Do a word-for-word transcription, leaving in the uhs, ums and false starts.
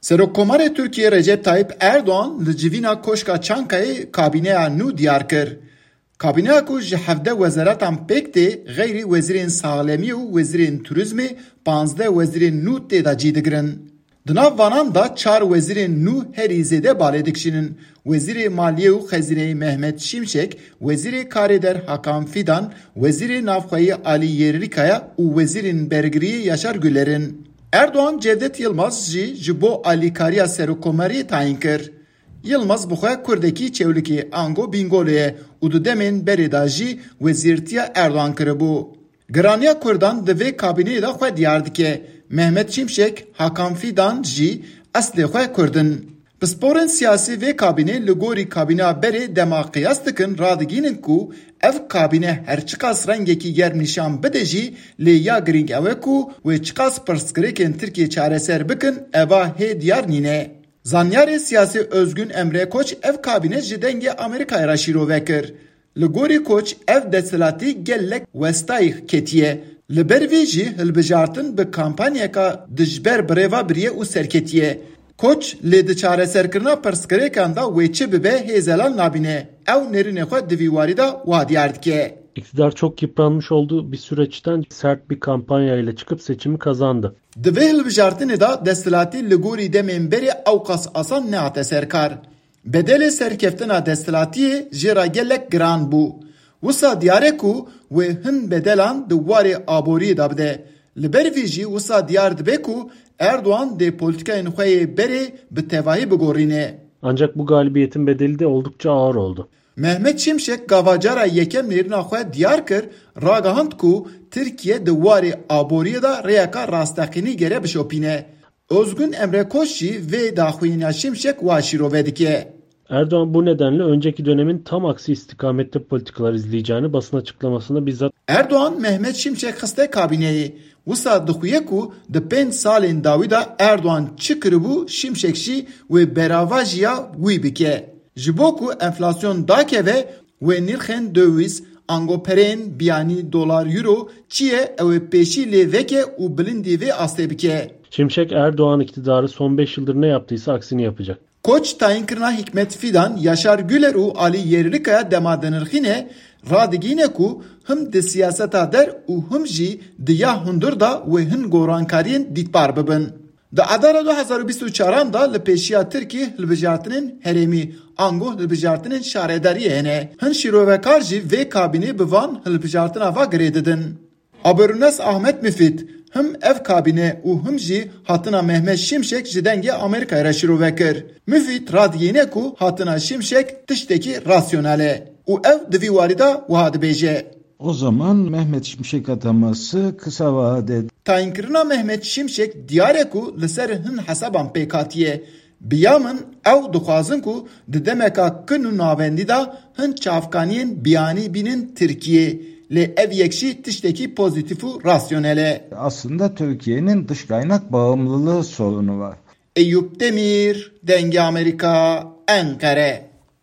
Serokkomarê Tirkiyê Recep Tayyip Erdoğan li civîna Koşka Çankayê kabîneya nû diyar kir. Kabîneya ku ji hevdeh wezaratan pêk tê, xeyrî wezîrên saxlemiyê û wezîrên turizmê, panzdeh wezîrên nû tê de cî digirin. Di nav vanan de çar wezîrên nû herî zêde balê dikişînin. Wezîrê Maliyê û Xezîneyê Mehmet Şimşek, Wezîrê Karê Der Hakan Fidan, Wezîrê Navxweyî Alî Yerlikaya û Wezîrên Bergiriyê Yaşar Güler in. Erdoğan Cevdet Yılmaz jî ji bo alîkariya serokkomariyê tayîn kir. Yilmaz bi xwe Kurdekî Çewlikê ango Bîngolê ye û di demên berê de jî wezîrtiya Erdogan kiribû. Giraniya Kurdan di vê kabîneyê de xwe diyar dike. Mehmet Şimşek, Hakan Fidan jî eslê xwe Kurd in. Pisporên siyasî vê kabînê li gorî kabîneya berê dema qiyas dikin, radigihînin ku ev kabîne her çiqas rengekî germ nîşan bide jî, lê ya girîng ew e ku wê çiqas pirsgirêkên Tirkiyê çareser bikin, eva hê diyar nîne. Zanyarê siyasî Özgün Emre Koç ev kabîne ji Dengê Amerîkayê re şîrove kir. Li gorî Koç ev desthilatî gelek westayî ketiye. Li ber vê jî hilbijartin bi kampanyeka dijber birêva biriye û serketiye. Koç lê di çareserkirina pirsgirêkan de wê çi bibe hêzelan nabîne. Ew nêrînê xwe di vî warî de wiha diyar dike. İktidar çok yıpranmış olduğu bir süreçten sert bir kampanya ile çıkıp seçimi kazandı. Di vê hilbijartinê de desthilatî li gorî demên berê ewqas asan nehate ser kar. Bedelê serkeftina desthilatiyê jê re gelek giran bû. Wisa diyar e ku wê hin bedelan di warê aboriyê de bide. Li ber vî jî wisa diyar dibe ku Erdogan dê polîtîkayên xwe yê berê bi tevahî bigorîne. Ancak bu galibiyetin bedeli de oldukça ağır oldu. Mehmet Şimşek gava cara yekem nêrîna xwe diyar kir, ragihand ku Tirkiye di warê aboriyê de rêyeka rasteqînî gere bişopîne. Özgün Emre Koç jî vê daxuyaniya Şimşek wa şîrove dike. Erdoğan bu nedenle önceki dönemin tam aksi istikamette politikalar izleyeceğini basın açıklamasında bizzat Erdoğan Mehmet Şimşek xiste kabîneyê. Wisa dixuye ku di pênc salên dawî de Erdoğan çi kiribû, Şimşek jî wê beravajiya wî bike. Ji bo ku enflasyon dakeve, wê nirxên döviz, ango perên biyanî, dolar, euro, çi ye, ew ê pêşî lê veke û bilindî vê astê bike. Şimşek Erdoğan iktidarı son beş yıldır ne yaptıysa aksini yapacak. Koç tayînkirina Hikmet Fidan, Yaşar Güler û Alî Yerlikaya dema dinirxîne, radigihîne ku him di siyaseta der û him jî di ya hundir de wê hin gorankariyên dîtbar bibin. Di Adara du hezar û bîst û çaran de li pêşiya Tirkî hilbijartinên herêmî, ango hilbijartinên şaredariyê hene. Hin şîrovekar jî vê kabînê bi van hilbijartina va girê didin. Aberunes Ahmet Müfit, him ev kabîne û him jî hatina Mehmet Şimşek ji Dengê Amerîkayê re şîrove kir. Müfit radigihîne ku hatina Şimşek tiştekî rasyonel e û ew di vî warî de wiha dibêje. O zaman Mehmet Şimşek ataması kısa vadede Tayînkirina Mehmet Şimşek diyar e ku li ser hin hesaban pêk hatiye. Bi ya min ew dixwazin ku di demeka kin û navendî de hin çavkaniyên biyanî bînin Tirkiyê. Lê ev yek jî tiştekî pozîtîf û rasyonel e. Aslında Türkiye'nin dış kaynak bağımlılığı sorunu var. Eyûp Demîr, Dengê Amerîka, Enqere.